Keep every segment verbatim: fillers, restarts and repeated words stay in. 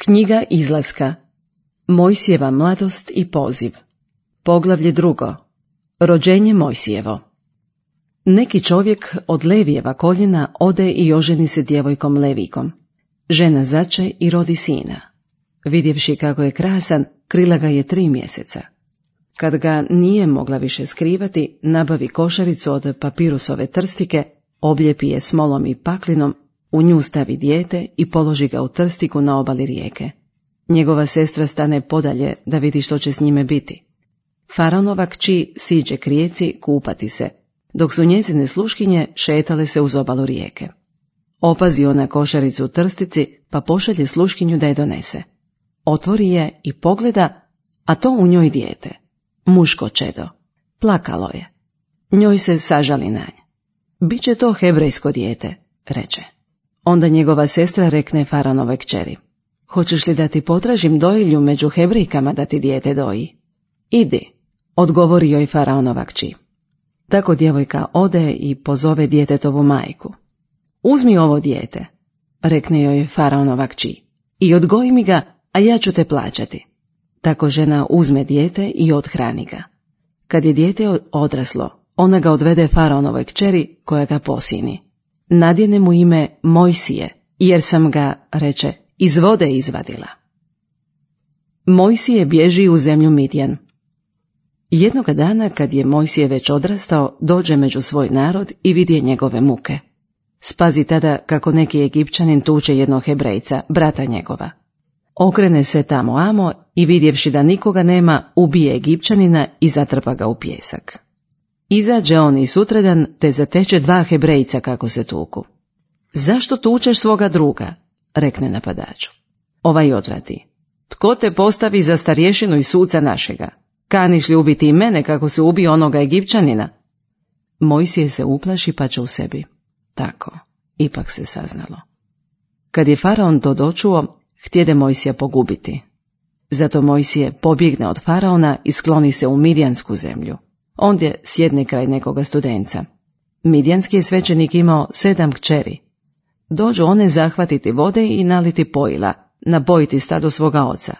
Knjiga izlaska. Mojsijeva mladost i poziv. Poglavlje drugo. Rođenje Mojsijevo. Neki čovjek od Levijeva koljena ode i oženi se djevojkom Levijkom. Žena zače i rodi sina. Vidjevši kako je krasan, krila ga je tri mjeseca. Kad ga nije mogla više skrivati, nabavi košaricu od papirusove trstike, obljepi je smolom i paklinom, u nju stavi dijete i položi ga u trstiku na obali rijeke. Njegova sestra stane podalje da vidi što će s njime biti. Faraonova kći siđe k rijeci kupati se, dok su njezine sluškinje šetale se uz obalu rijeke. Opazi ona košaricu u trstici, pa pošalje sluškinju da je donese. Otvori je i pogleda, a to u njoj dijete, muško čedo. Plakalo je. Njoj se sažali na nje. Biće to hebrejsko dijete, reče. Onda njegova sestra rekne Faraonovoj kćeri: hoćeš li da ti potražim dojilju među Hebrejkama da ti dijete doji? Idi, odgovori joj Faraonova kći. Tako djevojka ode i pozove djetetovu majku. Uzmi ovo dijete, rekne joj Faraonova kći, i odgoji mi ga, a ja ću te plaćati. Tako žena uzme dijete i othrani ga. Kad je dijete odraslo, ona ga odvede Faraonovoj kćeri koja ga posini. Nadjene mu ime Mojsije, jer sam ga, reče, iz vode izvadila. Mojsije bježi u zemlju Midjan. Jednoga dana, kad je Mojsije već odrastao, dođe među svoj narod i vidje njegove muke. Spazi tada kako neki Egipćanin tuče jednog Hebrejca, brata njegova. Okrene se tamo amo i vidjevši da nikoga nema, ubije Egipćanina i zatrpa ga u pijesak. Izađe on i sutradan te zateče dva Hebrejca kako se tuku. Zašto tučeš svoga druga? Rekne napadaču. Ovaj odvrati: tko te postavi za starješinu i suca našega? Kaniš li ubiti i mene kako se ubio onoga Egipćanina? Mojsije se uplaši pa će u sebi. Tako, ipak se saznalo. Kad je Faraon to dočuo, htjede Mojsija pogubiti. Zato Mojsije pobjegne od Faraona i skloni se u Midjansku zemlju. Ondje sjedne kraj nekoga studenca. Midjanski je svećenik imao sedam kćeri. Dođu one zahvatiti vode i naliti pojila, napojiti stado svoga oca.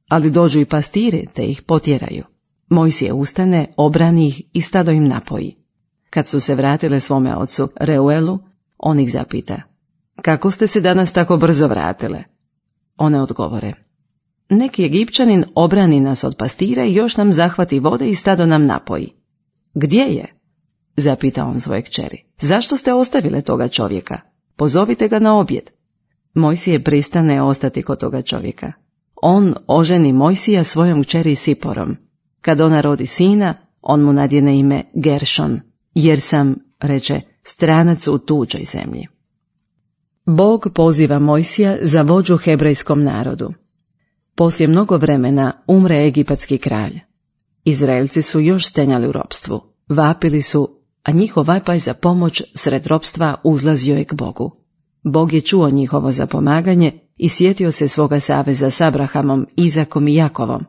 Ali dođu i pastiri te ih potjeraju. Mojsije ustane, obrani ih i stado im napoji. Kad su se vratile svome ocu Reuelu, on ih zapita: kako ste se danas tako brzo vratile? One odgovore: neki Egipćanin obrani nas od pastira i još nam zahvati vode i stado nam napoji. Gdje je? Zapita on svoje kćeri. Zašto ste ostavile toga čovjeka? Pozovite ga na objed. Mojsije pristane ostati kod toga čovjeka. On oženi Mojsija svojom kćeri Siporom. Kad ona rodi sina, on mu nadjene ime Geršon, jer sam, reče, stranac u tuđoj zemlji. Bog poziva Mojsija za vođu hebrejskom narodu. Poslije mnogo vremena umre egipatski kralj. Izraelci su još stenjali u ropstvu, vapili su, a njihov vapaj za pomoć sred ropstva uzlazio je k Bogu. Bog je čuo njihovo zapomaganje i sjetio se svoga saveza s Abrahamom, Izakom i Jakovom.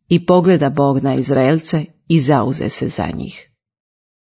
I pogleda Bog na Izraelce i zauze se za njih.